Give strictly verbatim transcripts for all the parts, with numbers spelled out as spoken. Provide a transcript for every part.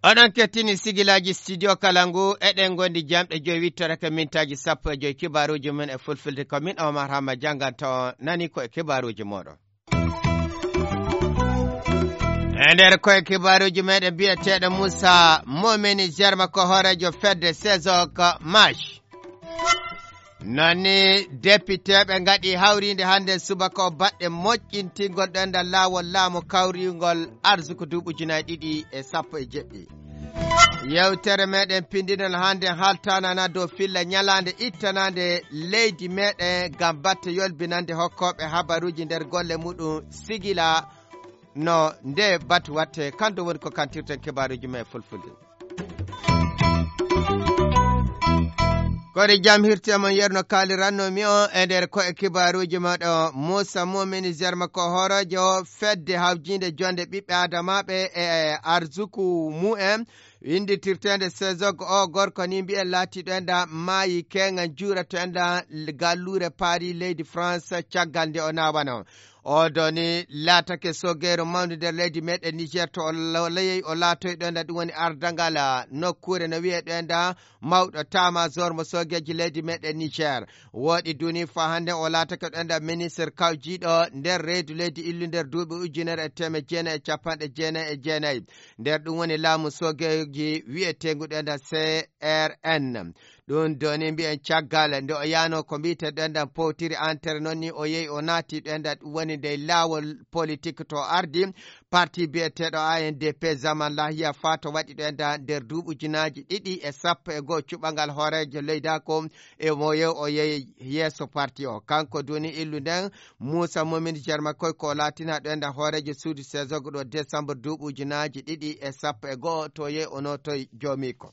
Oɗon kettini sigilaaji studio Kalangu, eɗen ngondi jamɗe joyi wittorake mintaaji sappo e joyi. Kibaaruuji men e fulfulde ko min Omar Hamma jannganta on, nani ko e kibaaruuji mooɗon. E nder koye kibaaruuji meɗen, biyeteeɗo Moussa Momeni Germa ko hooreejo fedde Sezok Mash. Nani depiteeɓe ngaɗi hawriinde hannde subaka o baɗɗe moƴƴintingol ɗenɗal laawol laamu kawringol arsuku duuɓi ujunaaji ɗiɗi e sappo e jeɗɗi. Yewtere meɗen pindinal hannde haltanana dow filla ñalaande ittanaande leydi meɗen ngam batte yolbinande hokkooɓe habaruuji nder golle muɗum sigila no nde batu watte. Kanto woni ko kantirten kibaaruuji men e fulfulde. Kori jam hirte mon yerno kaaliranno mi on e nder ko'e kibaaruuji maɗo. Moussa Momini Germa ko horojo fedde hawjinde jonde ɓiɓɓe adamaɓe e arzuku mu'en. Winditirteende Sezog o gorko ni mbiyen laatiiɗo enda maayi keŋan juuratoenda galluure Paris leydi France caggal nde o naawano. O doni laatake sogeeru mawndu nder leydi meɗen Niger to o lo-, leyey o laatoyɗo enda ɗum woni ardangal, ah, nokkuure no wiyeɗo enda mawɗo tamajor mo sogeeji leydi meɗen Niger. Wooɗi duni fa hannde o laatake ɗo enda ministre kawjiiɗo nder reedu leydi illu nder duuɓi ujunere e teemeɗɗe jeenayi e capanɗe jeenayi e jeenayi. Nder ɗum woni laamu sogeeji wiyeteengu ɗo enda C R N. Ɗum doni mbiyen caggal nde o yaano ko mbiyete ɗo enda powtiri entere noon ni o yehi o naati ɗo enda ɗum woni nde laawol politique to ardi parti biyeteeɗo A N D P zaman lahiya fa to waɗi ɗo enda nder duuɓi ujunaaji ɗiɗi e sappo e goo cuɓangal hooreejo leydaako e mo yehi o yehi yeeso parti o. Kanko duni illu nden Moussa Momini Germa koy ko laatina ɗo enda hooreejo suudu Sezog ɗo décembre duuɓi ujunaaji ɗiɗi e sappo e goo to yehi o nootoy joomiiko.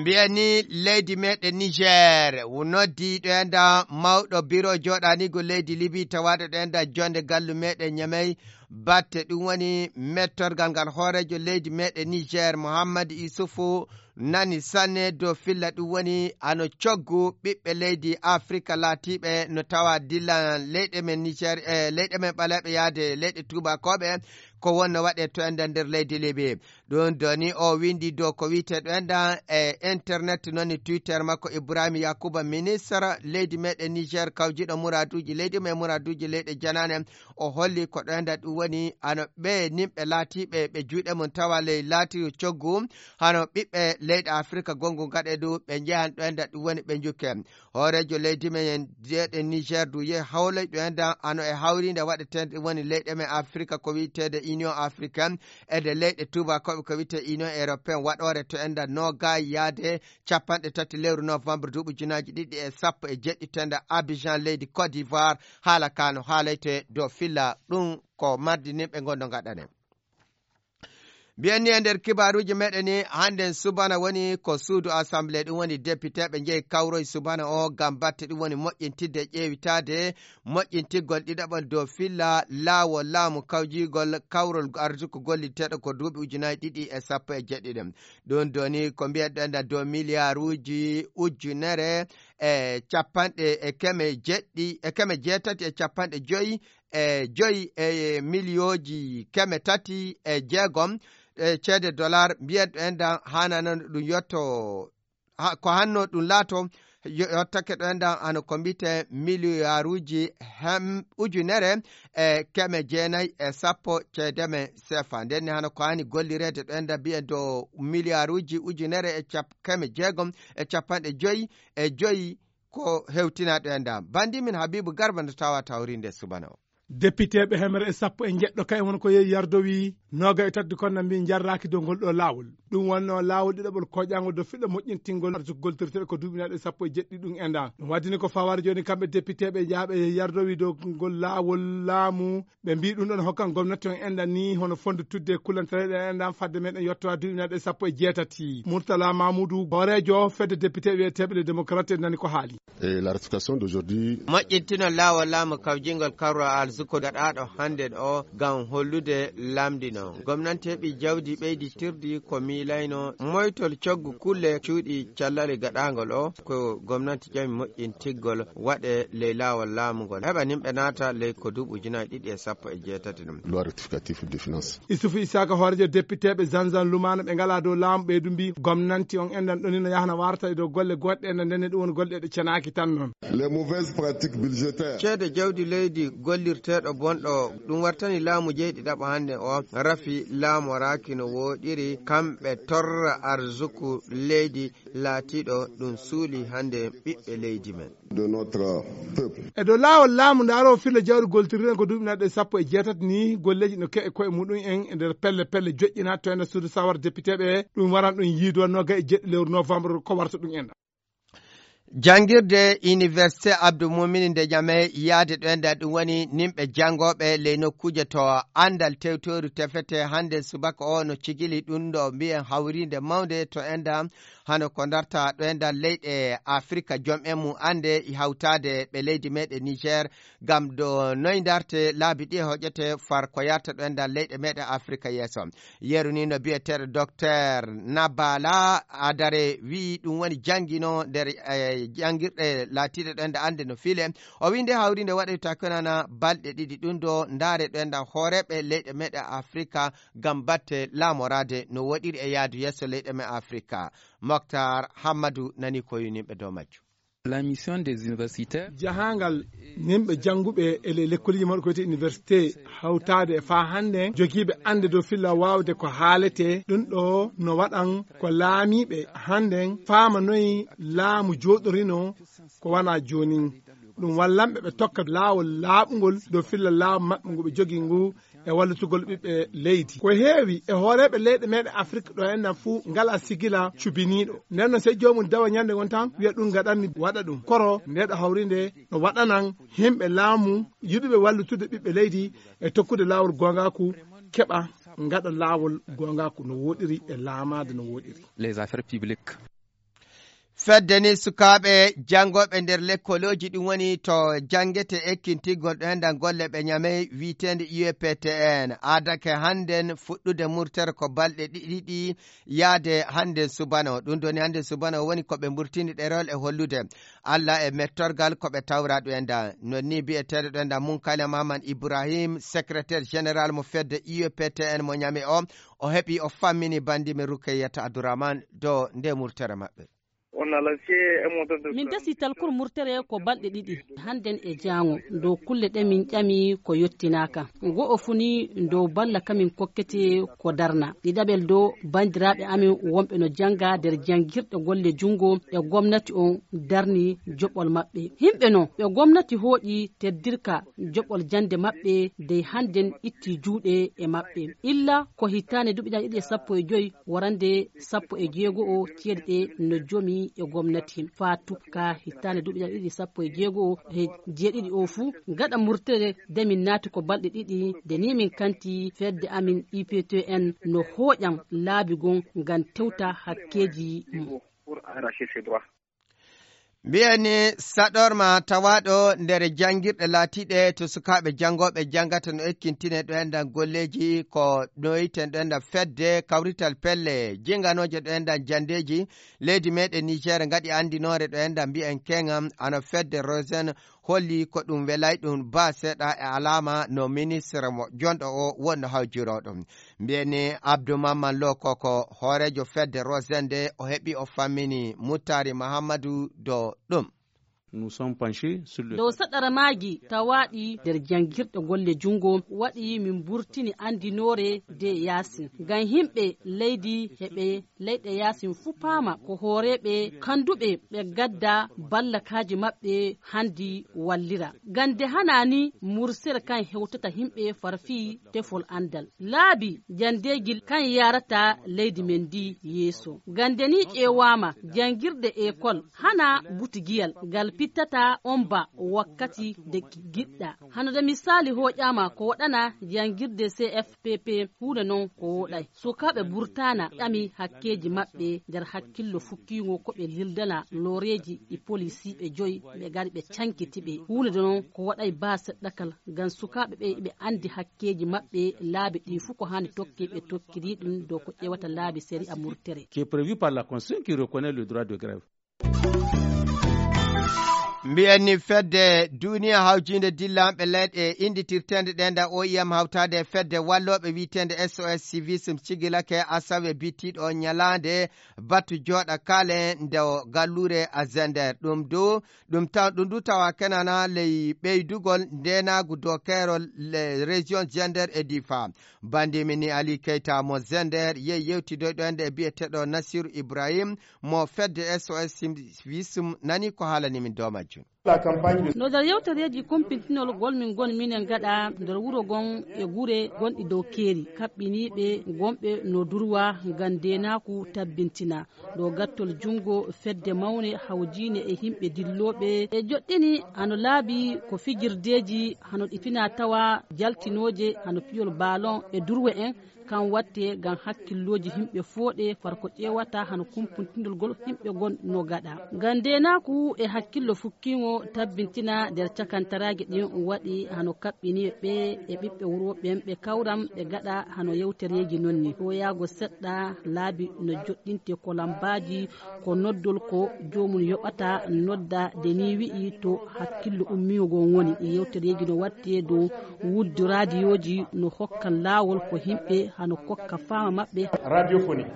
Mbiyen ni leydi meɗen Niger noddi ɗo enda mawɗo biro joɗanigo leydi Libi tawaɗo ɗo enda jonde gallu meɗen Ñamey batte ɗum woni mettorgal ngal hooreejo leydi meɗen Niger Mouhammad Issoufou nani sanne dow filla ɗum woni ano coggu ɓiɓɓe leydi Afrika laatiiɓe no tawa dilla leyɗe men Niger e leyɗe men ɓaleeɓe yaade leyɗe tuubakooɓe ko wonno waɗe to enda nder leydi Libi. Ɗum doni o windi dow ko wiyete ɗo enda e internet noon e Twitter makko Ibrahim Yakuba ministre leydi meɗen Niger kawjiɗo muraduuji leydi men muraduuji leyɗe janaane o holli ko ɗo enda ɗum woni ano ɓe nimɓe laatiiɓe ɓe juuɗe mum tawa ley laati coggu hano ɓiɓɓe leyɗe Afrika gongu gaɗe du ɓe njehan ɗo enda ɗum woni ɓe njukke. Hooreejo leydi men jeeɗe Niger du yehi hawloyɗo en dan ano e hawriinde waɗeteende woni leyɗe men Afrika ko wiyeteede Union Africaine e nde leyɗe tuubakooɓe ko wiyetee Union Européenne waɗoore to enda noogaay yaade capanɗe tati lewru novembre duuɓi junaaji ɗiɗi e sappo e jeɗɗi to enda Abidjan leydi Côte d'Ivoire haala ka no haalayte dow filla ɗum ko mardi nin ɓe ngonno ngaɗane. Mbiyen ni e nder kibaaruuji meɗen ni hannden subana woni ko suudu assemblée ɗum woni depiteeɓe njehi kawroy subana o ngam batte ɗum woni moƴƴintidde ƴeewitaade moƴƴintiggol ɗiɗaɓol dow filla laawol laamu kawjigol kawrol arsuku golliteeɗo ko duuɓi ujunaaji ɗiɗi e sappo e jeɗɗiɗi. Ɗum doni ko mbiyeɗen da dow miliyaaruuji ujunere e capanɗe e keme jeɗɗi e keme jeetati e capanɗe joyi e joyi e miliyooji keme tati e jeegom e ceede dollar mbiyen ɗo en dan haanano ɗum yotto ko hanno ɗum laato. Yottake ɗo en dan hano ko mbite miliyaaruuji hem ujunere e keme jeenayi e sappo ceede men sefa nden ni hano ko hani gollireede ɗo en dan mbiyen dow miliyaaruuji ujunere e cap- keme jeegom e capanɗe joyi e joyi ko hewtinaaɗo e nda bandi min Habibu Garba no tawa tawrinde subana o. Depiteeɓe hemere e sappo e jeɗɗo kay won ko yehi yardowi nooga e tati kon na mbi jarraaki dow ngol ɗo laawol. Ɗum wonno laawol ɗiɗaɓol koƴaango dow fiɗɗo moƴƴintingol arsuku goltirteeɗo ko duuɓinaaɗo e sappo e jeɗɗi ɗum e nda ɗum waddini ko fawaade jooni kamɓe depiteeɓe jaaɓe yehi yardowi dow ngol laawol laamu. Ɓe mbi ɗum ɗon hokkan gomnati on enda ni hono fondo tudde e kullantereɗe endan fadde meɗen yettowa duuɓinaaɗo e sappo e jeetati. Murtala Mamoudou hooreejo fedde depiteeɓe wiyeteeɓe les démocrates nani ko haali. Et la ratification d'aujourd'hui. Moƴƴintino laawol laamu kawjingol kawral Suko gaɗaaɗo hannden o ngam hollude lamndi noon. Gomnanteeɓe jawdi ɓeyditirdi ko miilayno moytol coggu kulle cuuɗi callale gaɗaangol o, ko gomnati ƴami moƴƴintiggol waɗe ley laawol laamu ngol. Heɓa nimɓe naata ley ko duuɓi ujunaaji ɗiɗi e sappo e jeetati ɗum. Loi rectificative de finance. Isufu Isaaka, hooreejo depiteeɓe Zanzan Lumaano ɓe ngalaa dow laamu ɓeydu mbi gomnanti on enɗan ɗoni no yahana warta e dow golle goɗɗe enɗan ndenne ɗum woni golle ɗe cenaaki tan noon. Les mauvaises pratiques budgétaires. Ceede jawdi leydi gollirteeɗo bonɗo ɗum wartani laamu jeyɗi ɗaɓo hannde o rafi laamoraaki no wooɗiri kamɓe torra arzuku leydi laatiiɗo ɗum suuli hannde ɓiɓɓe leydi men. De notre peuple. E dow laawol laamu ndaaro filla jawdi goltirɗen ko duuɓi naɗɗe sappo e jeetati ni golleeji no keɓe koye muɗum en e nder pelle pelle joƴƴina to enda suudu sawar député ɓe ɗum waran ɗum yiido nogay e jeɗɗi lewru novembre ko warta ɗum enɗan. Janngirde Université Abdou Moumini nde Ñame yaade ɗo enɗan ɗum woni nimɓe janngooɓe ley nokkuuje to anndal tewtoori tefete hannde subaka o no cigili ɗum ɗo mbiyen hawriinde mawnde to enɗan hano ko darta ɗo enɗan leyɗe Afrika jom en mum annde e hawtaade ɓe leydi meɗen Niger ngam ɗo noy darte laabi ɗi e hoƴete far ko yarta ɗo enɗan leyɗe meɗen Afrika yeeso. Yeru ni no biyeteeɗo Docteur Nabala Adare wi'i ɗum woni janngino nder, eh, janngirɗe laatiiɗe ɗo enɗan annde no file. O wi'i nde hawriinde waɗoyta konana balɗe ɗiɗi ɗum ɗo ndaare ɗo enɗan hooreeɓe leyɗe meɗen Afrika ngam batte laamoraade no woɗiri e yaadu yeeso leyɗe men Afrika. Moktar Hammadu nani ko yunimɓe dow majjum. La mission des universitaires. Jahangal nimɓe jannguɓe e le lekkoliji mawɗi ko wiyete université hawtaade e faa hannde jogiiɓe annde dow filla waawde ko haalete ɗum ɗo no waɗan ko laamiiɓe hannden faama noyi laamu jooɗorino ko wana joonin ɗum wallanɓe ɓe tokka laawol laaɓungol dow filla laamu maɓɓe ngu ɓe jogii ngu e wallitugol ɓiɓɓe leydi. Ko heewi e hooreeɓe leyɗe meɗen Afrik ɗo enɗan fuu ngala sigila cubiniiɗo. Nden noon sey joomum dawa ñannde ngon tan wiya ɗum ngaɗanmi waɗa ɗum. Koro ndeɗo hawrinde no waɗanan yimɓe laamu yiɗuɓe wallutude ɓiɓɓe leydi e tokkude laawol goongaaku keɓa ngaɗa laawol goongaaku no wooɗiri e laamaade no wooɗiri. Les affaires publiques. Fedde ni sukaaɓe janngooɓe nder lekkolooji ɗum woni to janngete ekkintigol ɗo enɗan golle ɓe ñamey wiiteende U E P T N aadake hannden fuɗɗude murtere ko balɗe ɗiɗi ɗi yaade hannden subano. Ɗum ɗoni hannden subano woni ko ɓe mburtini ɗerewol e hollude Alla e mettorgal ko ɓe tawra ɗo enɗan. Non ni biyeteeɗo ɗo enɗan Munkale Maman Ibrahim, secrétaire général mo fedde U E P T N mo ñame o, o heɓi o fammini banndi men Rukayyata Abdourahmane dow nde murtere maɓɓe. Min dasi talkol murtere ko balɗe ɗiɗi, hannden e jaango, dow kulle ɗe min ƴami ko yottinaaka. Go'o fu ni dow balla ka min kokkete ko darna. Ɗiɗaɓel dow banndiraaɓe amin wonɓe no jannga nder janngirɗe golle junngo e gomnati on darni joɓol maɓɓe. Yimɓe no ɓe gomnati hooƴi teddirka joɓol jannde maɓɓe dey hannden itti juuɗe e maɓɓe. Illa ko hitaande duuɓi ɗiɗi e sappo e joy warande sappo e jeego o ceeɗe ɗe no jomi e gomnati faa tupka hitaande duuɓi ɗiɗi sappo e jeego o he jeeɗiɗi o fuu gaɗa murtere de min naati ko balɗe ɗiɗi de ni min kanti fedde amin I P T N no hooƴan laabi gon ngam tewta hakkeeji mum. Mbiyen ni saɗorma tawaaɗo nder janngirɗe laatiiɗe to sukaaɓe janngooɓe janngata no ekkintine ɗo enɗan golleeji ko noyiten ɗo enɗan fedde kawrital pelle jinganooje ɗo enɗan janndeeji leydi meɗen Niger ngaɗi anndinoore ɗo enɗan mbiyen keŋam ano fedde Rosen holli ko ɗum welay ɗum ba seeɗa e alaama no ministre mo jonɗo o wonno hawjiroo ɗum. Mbiyeni Abdou Mamman Lo Koko, hooreejo fedde Rosende, o heɓi o fammini Muttari Mahammadu dow ɗum. Nous sommes penchés sur le dow saɗaramaaji tawaaɗi nder janngirɗe golle junngo, waɗi min mburtini anndinoore de Yaasin. Ngam yimɓe leydi heɓe leyɗe yaasin fuu paama ko hooreeɓe kannduɓe ɓe gadda ballakaaji maɓɓe hanndi wallira. Ngam nde hanaa ni mursere kan hewtata yimɓe far fii tefol anndal. Laabi janndeeji kan yaarata leydi men ndi yeeso. Ngam nde ni ƴeewaama janngirɗe ekol hanaa butigiyal ngal Ittata on ba wakkati de giɗɗa. Hano de misaali hooƴaama ko waɗana jangirde C F P P huunde non ko wooɗay. Sukaaɓe Burtana ƴami hakkeeji maɓɓe nder hakkillo fukkiingo ko ɓe lildana looreeji e polisiiɓe joyi ɓe gari ɓe cankiti ɓe. Huunde de non ko waɗay baa seɗɗakal ngam sukaaɓe ɓe ɓe anndi hakkeeji maɓɓe laabi ɗi fuu ko haani tokke ɓe tokkiri ɗum dow ko ƴeewata laabi sariya murtere. Qui est prévu par la Constitution qui reconnaît le droit de grève. Mbiyen ni fedde duniya hawjiinde dillanɓe leyɗe innditirteende ɗe nda O I M hawtaade e fedde wallooɓe wiyeteende S O S Civisme cigilake asawe bittiiɗo ñalaande batu jooɗa kaale nde o galluure a Zender. Ɗum du, ɗum taw, ɗum du tawa kenana ley ɓeydugol ndeenaagu dow keerol le région Zender e Difa. Bandimi ni Ali Keita mo Zender yehi yewtidoyɗo e nde biyeteeɗo Nasiru Ibrahim mo fedde S O S Civisme nani ko haalani min dow majjum. No nder yewtereeji kumpintinol gol min ngoni minen gaɗa nder wuro gon e gure gonɗi dow keeri, kaɓɓiniiɓe gonɓe no durwa ngam ndeenaaku tabbintina. Ɗo gattol junngo fedde mawne hawjiine e yimɓe dillooɓe e joɗɗini hano laabi ko fijirdeeji hano ɗi fina tawa jaltinooje hano piyol baalon e durwe en, kan watte ngam hakkillooji yimɓe fooɗe far ko ƴeewata hano kumpuntindolgol yimɓe gon no gaɗa. Ngam ndeenaaku e hakkillo fukkiingo tabbintina nder cakantaraaji ɗin waɗi hano kaɓɓiniiɓe ɓe e ɓiɓɓe wuro ɓen ɓe kawram ɓe gaɗa hano yewtereeji non ni. Ɗoyaago seɗɗa laabi no joɗɗinte ko lambaaji ko noddol ko joomum yoɓata nodda de ni wi'i to hakkillo ummiigo ngon woni. Yewtereeji no watte dow wuddu raadiyooji no hokkan laawol ko yimɓe hano kokka faama maɓɓe. Radiophonie.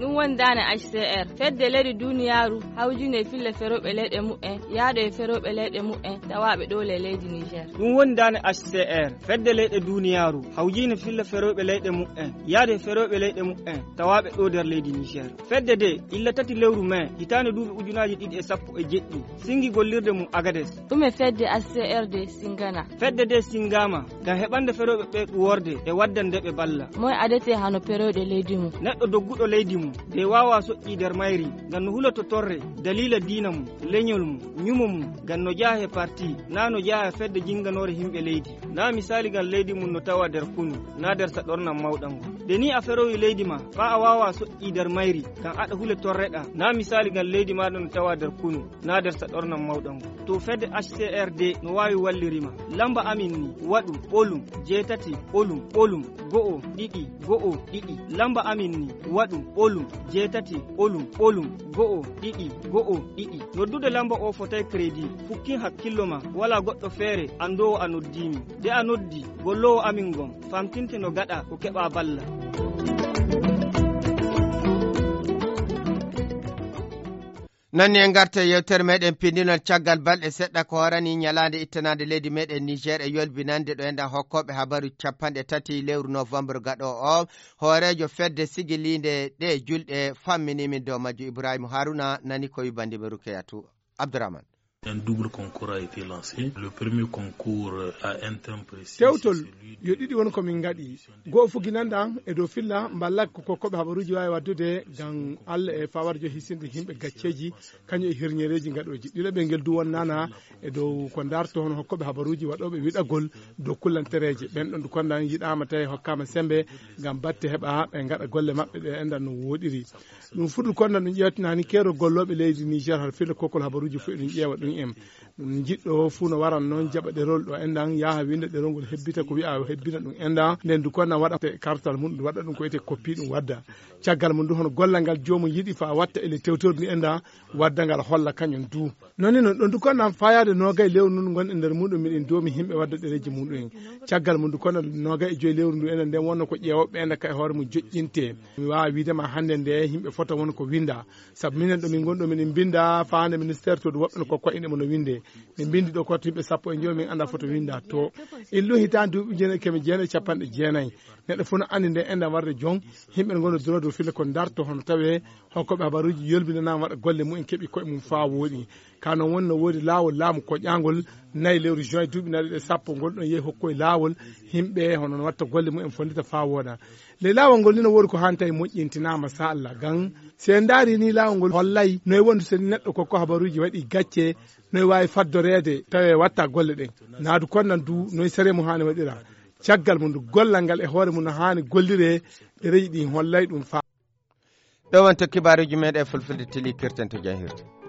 Ɗum woni daane H C R, fedde leyɗe duniyaaru hawjinde e fille ferooɓe leyɗe mu'en, yahde e ferooɓe leyɗe mu'en, tawaaɓe ɗo le leydi Niger. Ɗum woni daane H C R, fedde leyɗe duniyaaru hawjinde fille ferooɓe leyɗe mu'en, yahde e ferooɓe leyɗe mu'en, tawaaɓe ɗo nder leydi Niger. Fedde de, illa tati lewru mai, hitaande duuɓi ujunaaji ɗiɗi e sappo e jeɗɗi, singi gollirde mum Agades. Ɗum e fedde H C R de singana. Fedde de singama, ngam heɓande ferooɓe ɓe ɗuworde e waddande ɓe balla. Moy adete hano ferooɓe leydi mum? Neɗɗo dogguɗo leydi mum, de waawa soƴƴi nder mayri, ngam no huloto torre, daliila diina mum, leñol mum, ñumo mum, ngam no jaha e parti, na no jaha e fedde jinganoore yimɓe leydi. Na misaali ngam leydi mum no tawa nder kunu, na nder saɗornam mawɗam ngon. De ni a ferowi leydi ma, faa a waawa soƴƴi nder mayri, ngam aɗa hule torreɗa. Na misaali ngam leydi maaɗa no tawa nder kunu, na nder saɗornam mawɗam ngon. To fedde H C R de no waawi wallirima. Lamba amin ni, waɗu, ɓolum, jeetati, ɓolum, ɓolum, go'o, ɗiɗi, go'o, ɗiɗi. Lamba amin ni, waɗu, ɓolum, jeetati, ɓolum, ɓolum, go'o, ɗiɗi, go'o, ɗiɗi. Noddude lamba o fotay crédit. Fukkin hakkillo ma, wala goɗɗo feere, anndoowo a noddii mi. De a noddi, golloowo amin ngon, famtinte no gaɗa ko keɓa balla. Nanni en garta e yewtere meɗen pindinol caggal balɗe seɗɗa ko horani ñalaande ittanaande leydi meɗen Niger e yolbinande ɗo enɗan hokkooɓe habaru capanɗe tati lewru novembre gaɗo o. Hooreejo fedde sigiliinde ɗe julɗe fammini min dow majju Ibrahima Haruna nani ko wibandiɓe Rukeyatu Abdourahmane. Un double concours a été lancé. Le premier concours a un thème précis. Tewtol yo ɗiɗi won ko min ngaɗi. Goo fuginanɗan e dow filla mballak ko kokkoɓe habaruuji waawi waddude ngam Allah e fawarjo hisinde yimɓe gacceeji kañum e hirñereeji ngaɗooji. Ɗiɗaɓel ngel du wonnana e dow ko darto hono hokkooɓe habaruuji waɗooɓe wiɗagol dow kullantereeje. Ɓen ɗon du kondan yiɗaama tawi hokkaama sembe ngam batte heɓa ɓe ngaɗa golle maɓɓe ɗe enɗan no wooɗiri. Ɗum fuɗɗu kondan ɗum ƴeewtinani keerol gollooɓe leydi Niger har filla kokkol habaruuji fof eɗum ƴeewa ɗum en. Ɗum jiɗɗo fuu no waran noon jaɓa ɗerol ɗo enɗan yaha winnda ɗerol ngol hebbita ko wi'a hebbina ɗum enɗan. Nden du kondan waɗa kartal mum ɗum waɗa ɗum ko wiyetee koppi ɗum wadda. Caggal mum du hono gollal ngal joomum yiɗi fa watta e le tewtordi enɗan wadda ngal holla kañum du. Noon ni noon ɗon du kondan fayaade noogay lewru nun ngon e nder muɗum miɗen doomi yimɓe wadda ɗereeji muɗum en. Caggal mum du kondan noogay e joyi lewru ndu enen nden wonno ko ƴeewooɓe ɓe enɗan kay hoore mum joƴƴinte. Mi waawa wiide ma hannde nde yimɓe fota won ko winnda. Sabu minen ɗo min ngon ɗo miɗen mbinnda faande ministère to du woɓɓe no kokko inde mo no winnde. Min mbinndi ɗo kotto yimɓe sappo e joyi min annda foto winnda to. Illu hitaande duuɓi ujunere keme jeenayi capanɗe jeenayi. Neɗɗo fof no anndi nde enɗam warde jon, yimɓe ngoni droit de file ko darto hono tawee hokkoɓe habaruuji yolbinanaama waɗa golle mumen keɓi koye mum faa wooɗi. Ka noon woni no woodi laawol laamu koƴaangol nayi lewru juin duuɓi nayi ɗe sappo ngol ɗon yehi hokkoye laawol yimɓe hono no watta golle mumen fonndita faa wooɗa. Ley laawol ngol ni no woodi ko haani tawi moƴƴintinaama sa Allah gan si en ndaari ni laawol ngol hollay noye wondu so neɗɗo kokko habaruuji waɗi gacce noye waawi faddoreede tawe watta golle ɗen. Naadu konnan du noye sere mum haani waɗira. Caggal mum du gollal ngal e hoore mum no haani golliree. Ɗereji ɗi hollay ɗum faa. Ɗo wonto kibaaruuji meeɗen fulfulde tili kirten to jahirde.